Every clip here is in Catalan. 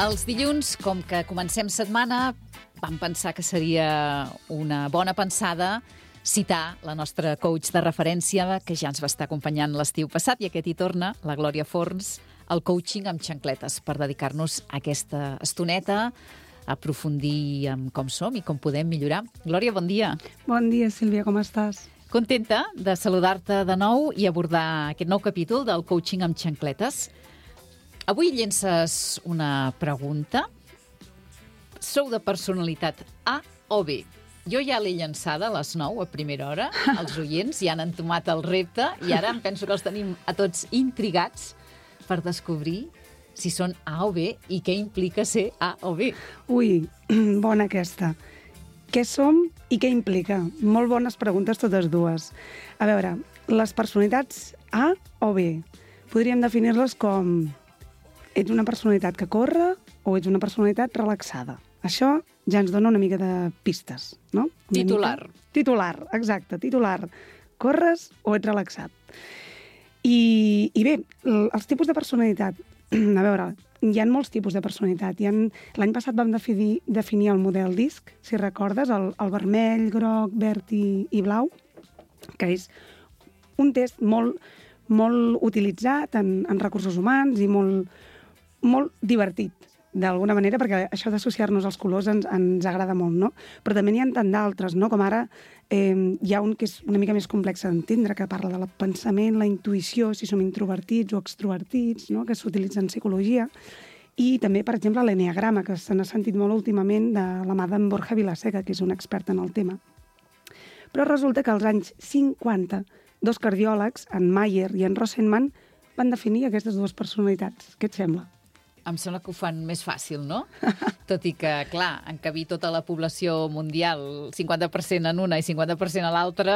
Els dilluns, com que comencem setmana, vam pensar que seria una bona pensada citar la nostra coach de referència, que ja ens va estar acompanyant l'estiu passat, i aquest hi torna, la Glòria Forns, al coaching amb xancletes, per dedicar-nos a aquesta estoneta, a aprofundir en com som i com podem millorar. Glòria, bon dia. Bon dia, Sílvia, com estàs? Contenta de saludar-te de nou i abordar aquest nou capítol del coaching amb xancletes. Avui llences una pregunta. Sou de personalitat A o B? Jo ja l'he llançada a les 9, a primera hora. Els oients ja han entomat el repte i ara em penso que els tenim a tots intrigats per descobrir si són A o B i què implica ser A o B. Ui, bona aquesta. Què som i què implica? Molt bones preguntes totes dues. A veure, les personalitats A o B podríem definir-les com: ets una personalitat que corre o ets una personalitat relaxada? Això ja ens dona una mica de pistes, no? Titular. Titular, exacte, titular. Corres o ets relaxat? I bé, els tipus de personalitat. A veure, hi ha molts tipus de personalitat. L'any passat vam definir el model DISC, si recordes, el vermell, groc, verd i blau, que és un test molt utilitzat en recursos humans i molt divertit, d'alguna manera, perquè això d'associar-nos als colors ens agrada molt, no? Però també n'hi ha tant d'altres, no? Com ara hi ha un que és una mica més complex d'entendre, que parla del pensament, la intuïció, si som introvertits o extrovertits, no? Que s'utilitza en psicologia. I també, per exemple, l'enneagrama, que se n'ha sentit molt últimament de la mà d'en Borja Vilaseca, que és un expert en el tema. Però resulta que als anys 50, dos cardiòlegs, en Mayer i en Rosenman, van definir aquestes dues personalitats. Què et sembla? Em sembla que ho fan més fàcil, no? Tot i que, clar, encabir tota la població mundial, 50% en una i 50% a l'altra,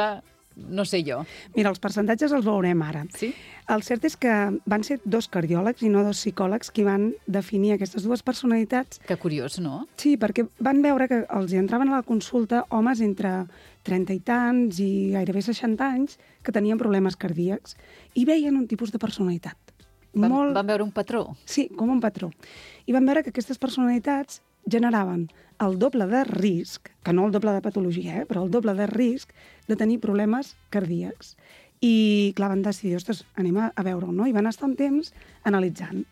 no sé jo. Mira, els percentatges els veurem ara. Sí? El cert és que van ser dos cardiòlegs i no dos psicòlegs qui van definir aquestes dues personalitats. Que curiós, no? Sí, perquè van veure que els hi entraven a la consulta homes entre 30 i tants i gairebé 60 anys que tenien problemes cardíacs i veien un tipus de personalitat. Van veure un patró? Sí, com un patró. I van veure que aquestes personalitats generaven el doble de risc, que no el doble de patologia, però el doble de risc de tenir problemes cardíacs. I, clar, van decidir, ostres, anem a veure-ho, no? I van estar un temps analitzant.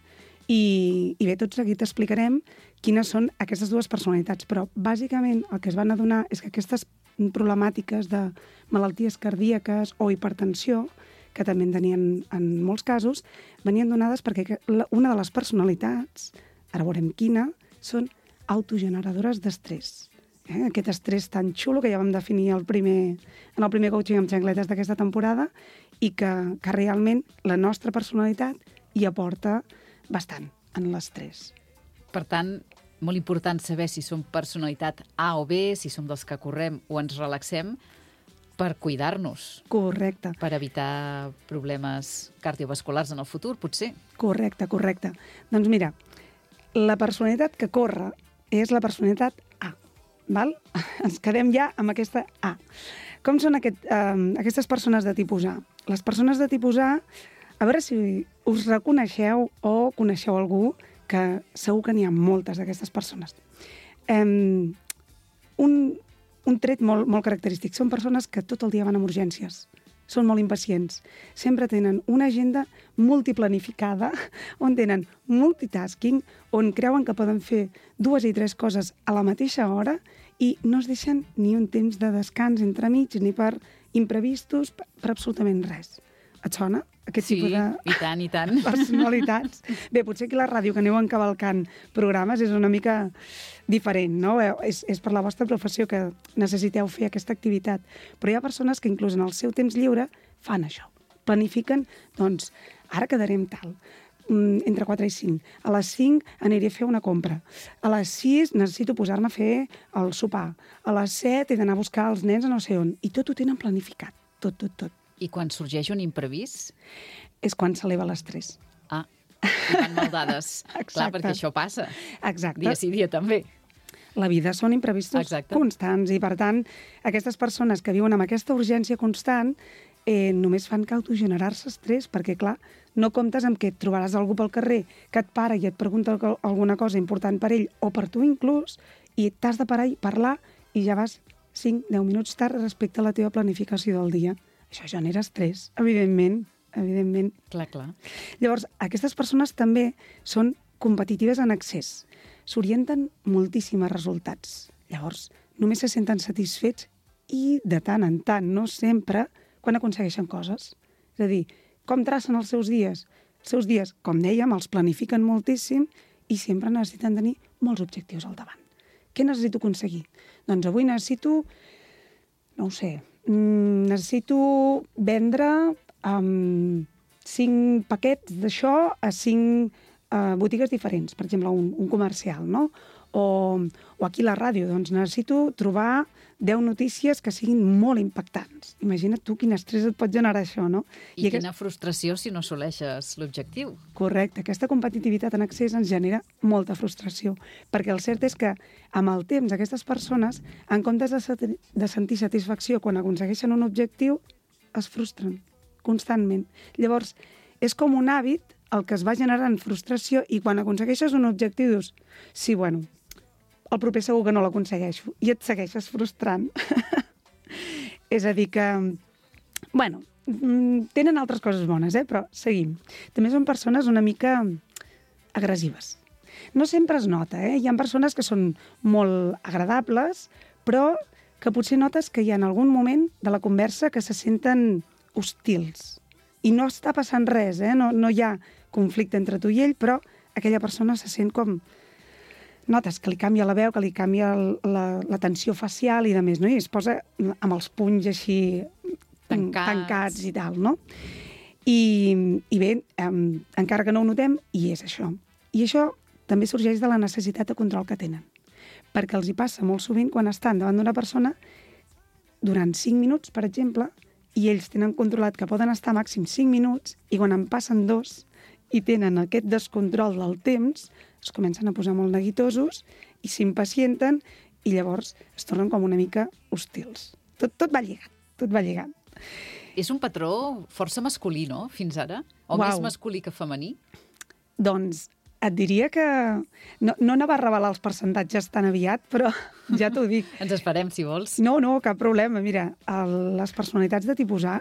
I bé, tot seguit explicarem quines són aquestes dues personalitats, però bàsicament el que es van adonar és que aquestes problemàtiques de malalties cardíaques o hipertensió, que també en tenien en molts casos, venien donades perquè una de les personalitats, ara veurem quina, són autogeneradores d'estrès. Aquest estrès tan xulo que ja vam definir en el primer coaching amb xancletes d'aquesta temporada i que realment la nostra personalitat hi aporta bastant en l'estrès. Per tant, molt important saber si som personalitat A o B, si som dels que correm o ens relaxem, per cuidar-nos. Correcte. Per evitar problemes cardiovasculars en el futur, potser. Correcte. Doncs mira, la personalitat que corre és la personalitat A, val? Ens quedem ja amb aquesta A. Com són aquestes persones de tipus A? Les persones de tipus A, a veure si us reconeixeu o coneixeu algú, que segur que n'hi ha moltes d'aquestes persones. Un tret molt característic. Són persones que tot el dia van amb urgències. Són molt impacients. Sempre tenen una agenda multiplanificada, on tenen multitasking, on creuen que poden fer 2 i 3 coses a la mateixa hora i no es deixen ni un temps de descans entremig, ni per imprevistos, per absolutament res. Et sona? Aquest tipus de i tant. personalitats. Bé, potser aquí a la ràdio, que aneu encavalcant programes, és una mica diferent, no? És per la vostra professió que necessiteu fer aquesta activitat. Però hi ha persones que inclús en el seu temps lliure fan això. Planifiquen, doncs, ara quedarem tal, entre 4 i 5. A les 5 aniré a fer una compra. A les 6 necessito posar-me a fer el sopar. A les 7 he d'anar a buscar els nens a no sé on. I tot ho tenen planificat. Tot. I quan sorgeix un imprevist? És quan s'eleva l'estrès. Ah, i van mal dades. Clar, perquè això passa. Exacte. Dia sí, dia també. La vida són imprevistos constants i, per tant, aquestes persones que viuen amb aquesta urgència constant només fan que autogenerar-se estrès, perquè, clar, no comptes amb que et trobaràs algú pel carrer que et para i et pregunta alguna cosa important per ell o per tu inclús, i t'has de parar i parlar i ja vas 5-10 minuts tard respecte a la teva planificació del dia. Això genera estrès, evidentment. Clar, clar. Llavors, aquestes persones també són competitives en excés. S'orienten moltíssim a resultats. Llavors, només se senten satisfets i de tant en tant, no sempre, quan aconsegueixen coses. És a dir, com tracen els seus dies? Els seus dies, com dèiem, els planifiquen moltíssim i sempre necessiten tenir molts objectius al davant. Què necessito aconseguir? Doncs avui necessito, no ho sé, necessito vendre 5 paquets d'això a 5 botigues diferents, per exemple, un comercial, no? O aquí a la ràdio, doncs necessito trobar 10 notícies que siguin molt impactants. Imagina't tu quin estrès et pot generar això, no? I quina frustració si no assoleixes l'objectiu. Correcte. Aquesta competitivitat en excés ens genera molta frustració, perquè el cert és que amb el temps aquestes persones, en comptes de sentir satisfacció quan aconsegueixen un objectiu, es frustren constantment. Llavors, és com un hàbit el que es va generant frustració i quan aconsegueixes un objectiu dius, sí, bueno, el proper segur que no l'aconsegueixo i et segueixes frustrant. És a dir que, bueno, tenen altres coses bones, però seguim. També són persones una mica agressives. No sempre es nota, Hi ha persones que són molt agradables, però que potser notes que hi ha en algun moment de la conversa que se senten hostils. I no està passant res, no hi ha conflicte entre tu i ell, però aquella persona se sent com... Notes que li canvia la veu, que li canvia la tensió facial i de més, no? I es posa amb els punys així tancats i tal, no? I bé, encara que no ho notem, hi és això. I això també sorgeix de la necessitat de control que tenen. Perquè els hi passa molt sovint quan estan davant d'una persona durant 5 minuts, per exemple, i ells tenen controlat que poden estar màxim 5 minuts i quan en passen 2 i tenen aquest descontrol del temps, es comencen a posar molt neguitosos i s'impacienten i llavors es tornen com una mica hostils. Tot va lligat. És un patró força masculí, no?, fins ara? O més masculí que femení? Doncs et diria que... No anava a revelar els percentatges tan aviat, però ja t'ho dic. Ens esperem, si vols. No, cap problema. Mira, les personalitats de tipus A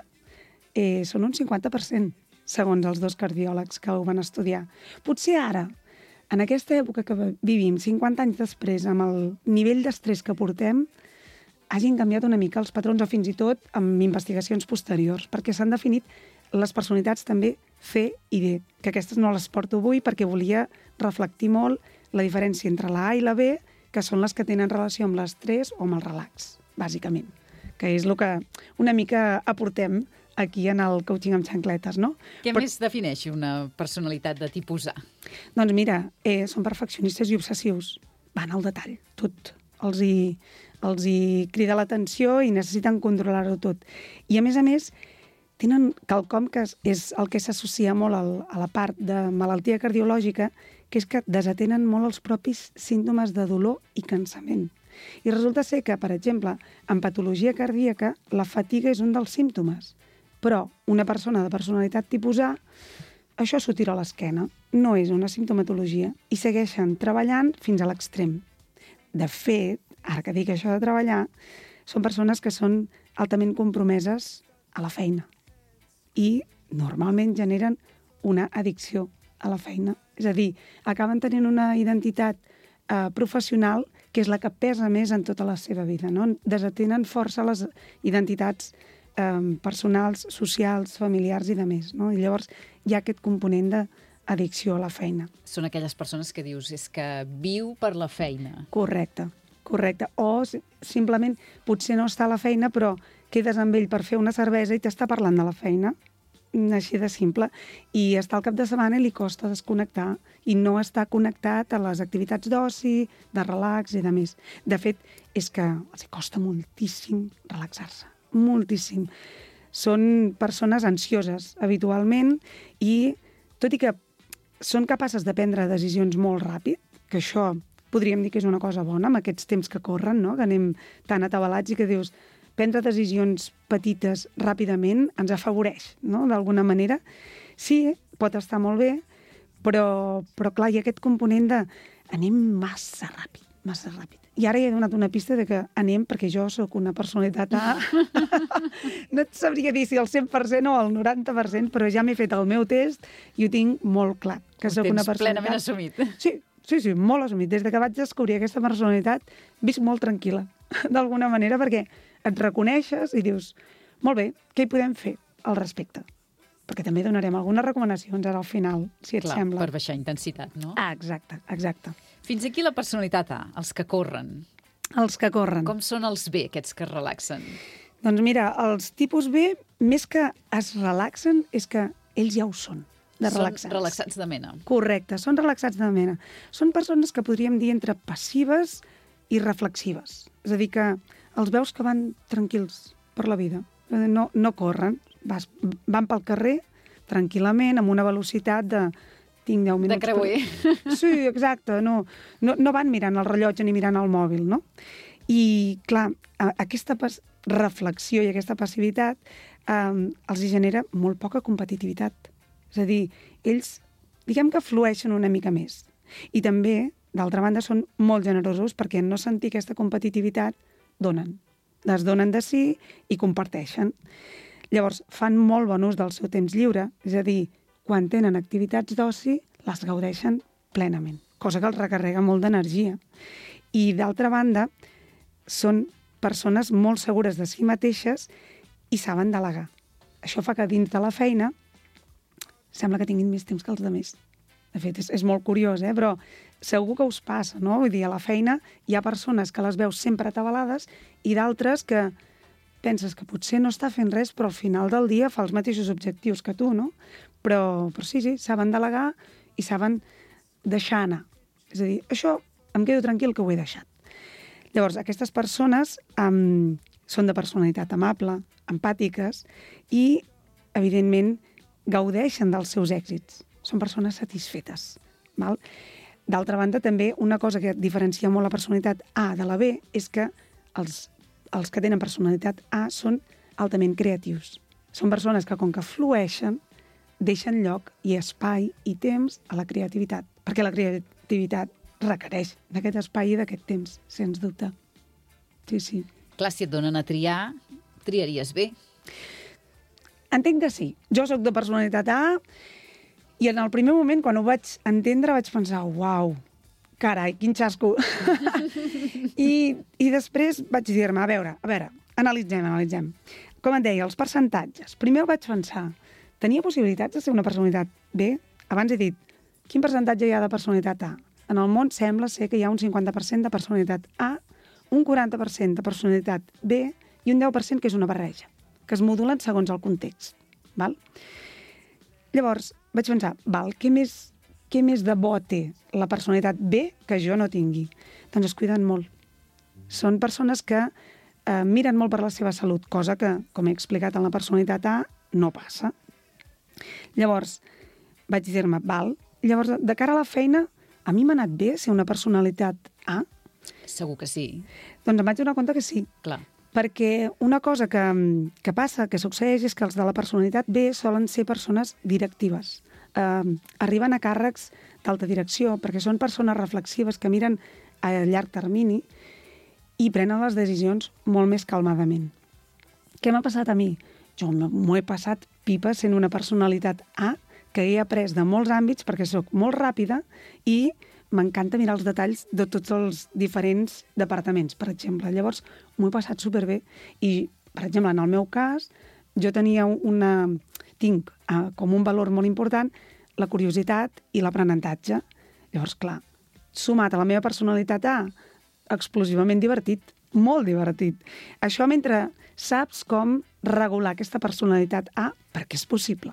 són un 50%, segons els 2 cardiòlegs que ho van estudiar. Potser ara, en aquesta època que vivim, 50 anys després, amb el nivell d'estrès que portem, hagin canviat una mica els patrons o fins i tot amb investigacions posteriors, perquè s'han definit les personalitats també C i D, que aquestes no les porto avui perquè volia reflectir molt la diferència entre la A i la B, que són les que tenen relació amb l'estrès o amb el relax, bàsicament, que és el que una mica aportem aquí en el coaching amb xancletes, no? Què més defineix una personalitat de tipus A? Doncs mira, són perfeccionistes i obsessius. Van al detall, tot. Els hi crida l'atenció i necessiten controlar-ho tot. I a més, tenen quelcom que és el que s'associa molt a la part de malaltia cardiològica, que és que desatenen molt els propis símptomes de dolor i cansament. I resulta ser que, per exemple, en patologia cardíaca, la fatiga és un dels símptomes. Però una persona de personalitat tipus A, això s'ho tira a l'esquena. No és una simptomatologia i segueixen treballant fins a l'extrem. De fet, ara que dic això de treballar, són persones que són altament compromeses a la feina i normalment generen una addicció a la feina. És a dir, acaben tenint una identitat professional que és la que pesa més en tota la seva vida, no? Desatenen força les identitats personals, socials, familiars i de més, no? I llavors hi ha aquest component d'addicció a la feina. Són aquelles persones que dius, és que viu per la feina. Correcte. O simplement potser no està a la feina, però quedes amb ell per fer una cervesa i t'està parlant de la feina, així de simple, i està al cap de setmana i li costa desconnectar i no està connectat a les activitats d'oci, de relax i de més. De fet, és que els costa moltíssim relaxar-se. Moltíssim. Són persones ansioses habitualment i, tot i que són capaces de prendre decisions molt ràpid, que això podríem dir que és una cosa bona amb aquests temps que corren, no? Que anem tan atabalats i que dius, prendre decisions petites ràpidament ens afavoreix, no?, d'alguna manera. Sí, pot estar molt bé, però clar, hi ha aquest component de anem massa ràpid. I ara ja he donat una pista de que anem, perquè jo sóc una personalitat A. No et sabria dir si al 100% o al 90%, però ja m'he fet el meu test i ho tinc molt clar, que sóc una personalitat... plenament assumit. Sí, molt assumit. Des que vaig descobrir aquesta personalitat, visc molt tranquil·la, d'alguna manera, perquè et reconeixes i dius, molt bé, què hi podem fer al respecte? Perquè també donarem algunes recomanacions ara al final, si et sembla. Per baixar intensitat, no? Exacte. Fins aquí la personalitat A, els que corren. Els que corren. Com són els B, aquests que es relaxen? Doncs mira, els tipus B, més que es relaxen, és que ells ja ho són, de relaxats. Són relaxats de mena. Correcte, són relaxats de mena. Són persones que podríem dir entre passives i reflexives. És a dir, que els veus que van tranquils per la vida. No corren, van pel carrer tranquil·lament, amb una velocitat de... Tinc 10 minuts... De creuer. Sí, exacte. No van mirant el rellotge ni mirant el mòbil, no? I, clar, aquesta reflexió i aquesta passivitat els genera molt poca competitivitat. És a dir, ells, diguem que flueixen una mica més. I també, d'altra banda, són molt generosos perquè en no sentir aquesta competitivitat donen. Les donen de si i comparteixen. Llavors, fan molt bon ús del seu temps lliure, és a dir, quan tenen activitats d'oci, les gaudeixen plenament, cosa que els recarrega molt d'energia. I, d'altra banda, són persones molt segures de si mateixes i saben delegar. Això fa que dins de la feina sembla que tinguin més temps que els altres. De fet, és molt curiós, però segur que us passa, no? Vull dir, a la feina hi ha persones que les veus sempre atabalades i d'altres que penses que potser no està fent res, però al final del dia fa els mateixos objectius que tu, no? Però sí, saben delegar i saben deixar anar. És a dir, això em quedo tranquil que ho he deixat. Llavors, aquestes persones són de personalitat amable, empàtiques i, evidentment, gaudeixen dels seus èxits. Són persones satisfetes. Val? D'altra banda, també, una cosa que diferencia molt la personalitat A de la B és que els que tenen personalitat A són altament creatius. Són persones que, com que flueixen, deixen lloc i espai i temps a la creativitat, perquè la creativitat requereix d'aquest espai i d'aquest temps, sens dubte. Sí. Clar, si et donen a triar, triaries B. Entenc que sí. Jo sóc de personalitat A i en el primer moment, quan ho vaig entendre, vaig pensar, uau, carai, quin xasco. I després vaig dir-me, a veure, analitzem. Com et deia, els percentatges. Primer vaig pensar, tenia possibilitats de ser una personalitat B? Abans he dit, quin percentatge hi ha de personalitat A? En el món sembla ser que hi ha un 50% de personalitat A, un 40% de personalitat B i un 10% que és una barreja, que es modulen segons el context. Val? Llavors, vaig pensar, què més de bo té la personalitat B que jo no tingui? Doncs es cuiden molt. Són persones que miren molt per la seva salut, cosa que, com he explicat en la personalitat A, no passa. Llavors, vaig dir-me, llavors, de cara a la feina, a mi m'ha anat bé ser una personalitat A? Segur que sí. Doncs em vaig donar compte que sí. Clar. Perquè una cosa que passa, que succeeix, és que els de la personalitat B solen ser persones directives. Arriben a càrrecs d'alta direcció, perquè són persones reflexives que miren a llarg termini i prenen les decisions molt més calmadament. Què m'ha passat a mi? Jo m'ho he passat pipa sent una personalitat A que he après de molts àmbits perquè sóc molt ràpida i m'encanta mirar els detalls de tots els diferents departaments, per exemple. Llavors, m'ho he passat superbé. I, per exemple, en el meu cas, jo tinc com un valor molt important la curiositat i l'aprenentatge. Llavors, clar, sumat a la meva personalitat A, explosivament divertit, molt divertit. Això mentre saps com regular aquesta personalitat A, perquè és possible.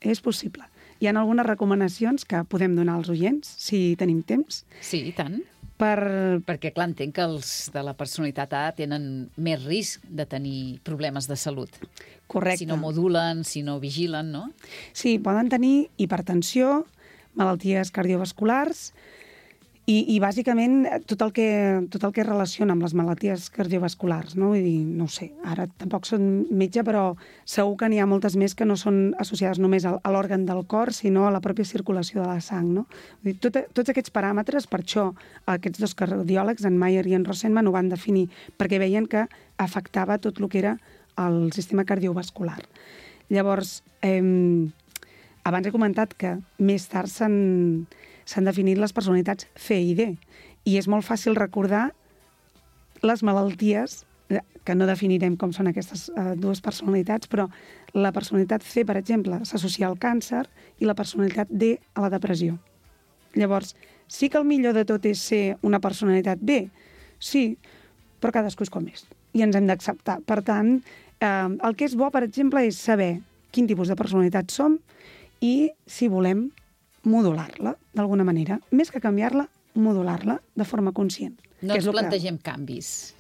És possible. Hi ha algunes recomanacions que podem donar als oients, si tenim temps. Sí, i tant. Perquè, clar, entenc que els de la personalitat A tenen més risc de tenir problemes de salut. Correcte. Si no modulen, si no vigilen, no? Sí, poden tenir hipertensió, malalties cardiovasculars I bàsicament tot el que relaciona amb les malalties cardiovasculars, no? Vull dir, no ho sé, ara tampoc soc metge, però segur que n'hi ha moltes més que no són associades només a l'òrgan del cor, sinó a la pròpia circulació de la sang, no? Vull dir, tots aquests paràmetres, per això aquests dos cardiòlegs, en Mayer i en Rosenman, ho van definir, perquè veien que afectava tot el que era el sistema cardiovascular. Llavors, abans he comentat que més tard s'han definit les personalitats C i D, i és molt fàcil recordar les malalties, que no definirem com són aquestes dues personalitats, però la personalitat C, per exemple, s'associa al càncer i la personalitat D a la depressió. Llavors, sí que el millor de tot és ser una personalitat B, sí, però cadascú és com és, i ens hem d'acceptar. Per tant, el que és bo, per exemple, és saber quin tipus de personalitat som i si volem modular-la, d'alguna manera. Més que canviar-la, modular-la de forma conscient. No ens plantegem canvis,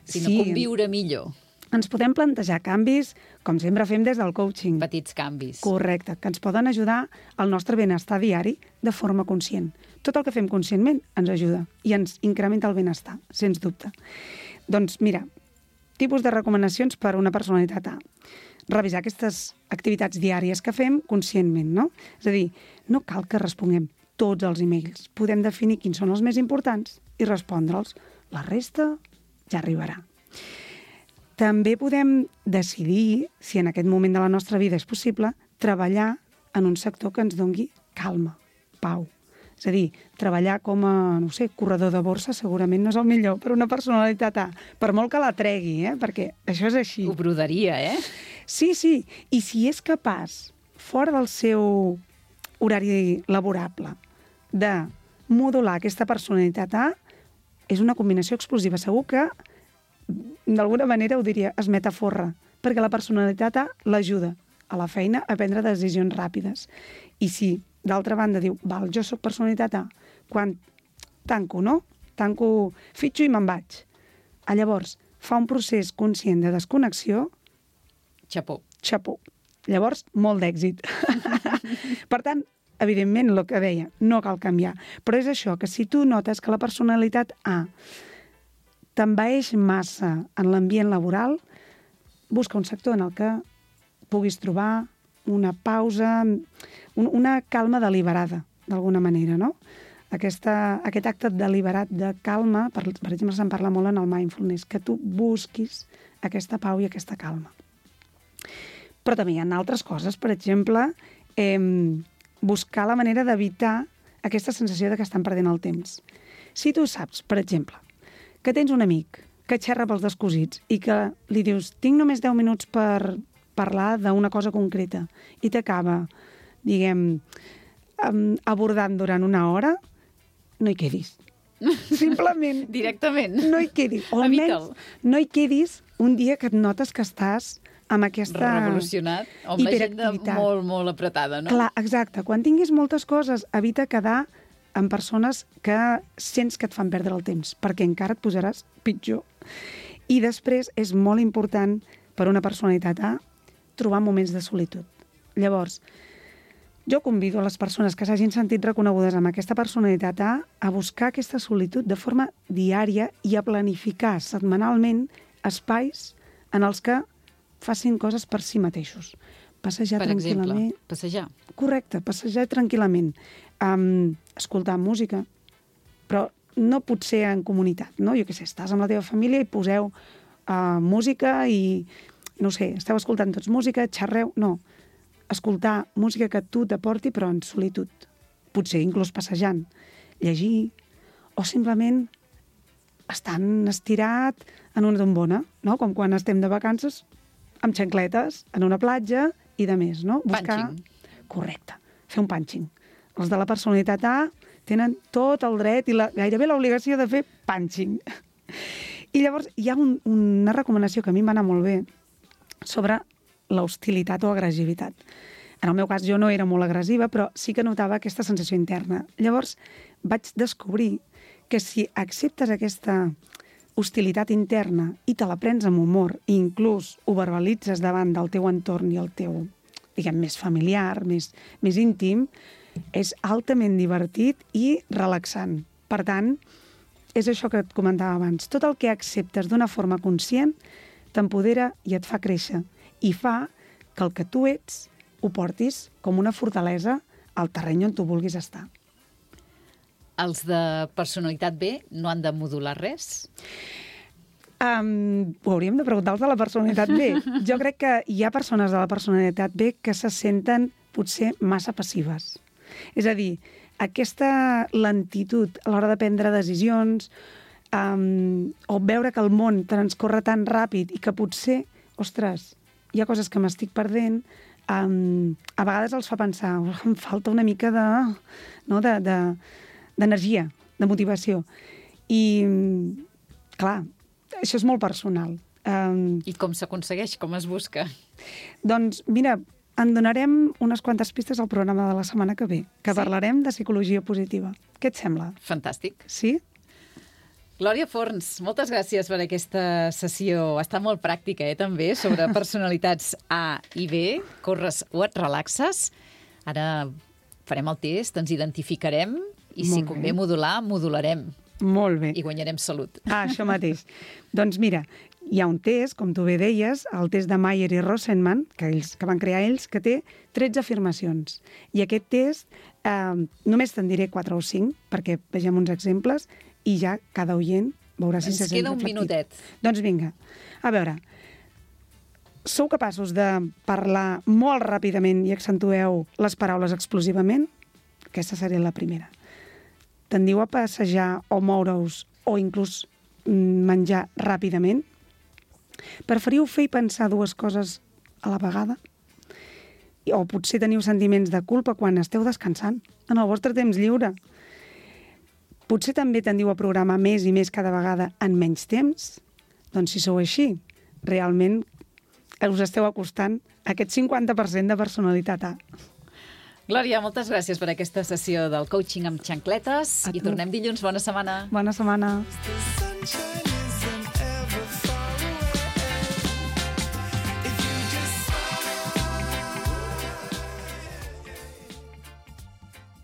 sinó conviure millor. Ens podem plantejar canvis, com sempre fem des del coaching. Petits canvis. Correcte, que ens poden ajudar al nostre benestar diari de forma conscient. Tot el que fem conscientment ens ajuda i ens incrementa el benestar, sens dubte. Doncs mira, tipus de recomanacions per a una personalitat A. Revisar aquestes activitats diàries que fem conscientment, no? És a dir, no cal que responguem tots els e-mails. Podem definir quins són els més importants i respondre'ls. La resta ja arribarà. També podem decidir, si en aquest moment de la nostra vida és possible, treballar en un sector que ens dongui calma, pau. És a dir, treballar com a, no sé, corredor de borsa segurament no és el millor per una personalitat A, per molt que la tregui, perquè això és així. Ho brodaria, Sí. I si és capaç, fora del seu horari laborable, de modular aquesta personalitat A, és una combinació explosiva. Segur que, d'alguna manera, ho diria, es metaforra, perquè la personalitat A l'ajuda a la feina a prendre decisions ràpides. I si, d'altra banda, diu, val, jo sóc personalitat A, quan tanco, no? Tanco, fitxo i me'n vaig. Llavors, fa un procés conscient de desconnexió. Xapó. Llavors, molt d'èxit. Per tant, evidentment, el que deia, no cal canviar. Però és això, que si tu notes que la personalitat A t'envaeix massa en l'ambient laboral, busca un sector en el que puguis trobar una pausa, una calma deliberada, d'alguna manera, no? Aquest acte deliberat de calma, per exemple, se'n parla molt en el mindfulness, que tu busquis aquesta pau i aquesta calma. Però també hi ha altres coses, per exemple, buscar la manera d'evitar aquesta sensació de que estan perdent el temps. Si tu saps, per exemple, que tens un amic que xerra pels descosits i que li dius, tinc només 10 minuts per parlar d'una cosa concreta i t'acaba, diguem, abordant durant una hora, no hi quedis. Simplement. Directament. No hi quedis. O almenys no hi quedis un dia que et notes que estàs amb aquesta revolucionat, o amb l'agenda molt, molt apretada, no? Clar, exacte. Quan tinguis moltes coses, evita quedar amb persones que sents que et fan perdre el temps, perquè encara et posaràs pitjor. I després és molt important per una personalitat A trobar moments de solitud. Llavors, jo convido a les persones que s'hagin sentit reconegudes amb aquesta personalitat a buscar aquesta solitud de forma diària i a planificar setmanalment espais en els que facin coses per si mateixos. Passejar tranquil·lament. Per exemple, passejar. Correcte, passejar tranquil·lament. Escoltar música, però no pot ser en comunitat, no? Jo què sé, estàs amb la teva família i poseu música i, no sé, esteu escoltant tots música, xerreu... No, escoltar música que tu t'aporti, però en solitud. Potser inclús passejant, llegir, o simplement estant estirat en una tombona, no? Com quan estem de vacances amb xancletes, en una platja i de més, no? Punching. Correcte, fer un punching. Els de la personalitat A tenen tot el dret i gairebé l'obligació de fer punching. I llavors hi ha una recomanació que a mi em va anar molt bé sobre l'hostilitat o agressivitat. En el meu cas jo no era molt agressiva, però sí que notava aquesta sensació interna. Llavors vaig descobrir que si acceptes aquesta hostilitat interna i te la prens amb humor i inclús ho verbalitzes davant del teu entorn i el teu, diguem, més familiar, més íntim, és altament divertit i relaxant. Per tant, és això que et comentava abans. Tot el que acceptes d'una forma conscient t'empodera i et fa créixer. I fa que el que tu ets ho portis com una fortalesa al terreny on tu vulguis estar. Els de personalitat B no han de modular res? Ho hauríem de preguntar als de la personalitat B. Jo crec que hi ha persones de la personalitat B que se senten potser massa passives. És a dir, aquesta lentitud a l'hora de prendre decisions o veure que el món transcorre tan ràpid i que potser, ostres, hi ha coses que m'estic perdent, a vegades els fa pensar, em falta una mica d'energia, de motivació. I, clar, això és molt personal. I com s'aconsegueix? Com es busca? Doncs, mira, en donarem unes quantes pistes al programa de la setmana que ve, que parlarem de psicologia positiva. Què et sembla? Fantàstic. Sí? Glòria Forns, moltes gràcies per aquesta sessió. Està molt pràctica, també, sobre personalitats A i B. Corres o et relaxes. Ara farem el test, ens identificarem i si convé modular, modularem. Molt bé. I guanyarem salut. Això mateix. Doncs mira, hi ha un test, com tu bé deies, el test de Mayer i Rosenman, que van crear ells, que té 13 afirmacions. I aquest test només te'n diré 4 o 5, perquè vegem uns exemples, i ja cada oient veurà si se sent reflectit. Ens queda un minutet. Doncs vinga. A veure, sou capaços de parlar molt ràpidament i accentueu les paraules explosivament? Aquesta seria la primera. Tendiu a passejar o moure-us o inclús menjar ràpidament? Preferiu fer i pensar dues coses a la vegada? O potser teniu sentiments de culpa quan esteu descansant en el vostre temps lliure? Potser també tendiu a programar més i més cada vegada en menys temps? Doncs si sou així, realment us esteu acostant a aquest 50% de personalitat A. Glòria, moltes gràcies per aquesta sessió del coaching amb xancletes i tornem dilluns. Bona setmana. Bona setmana.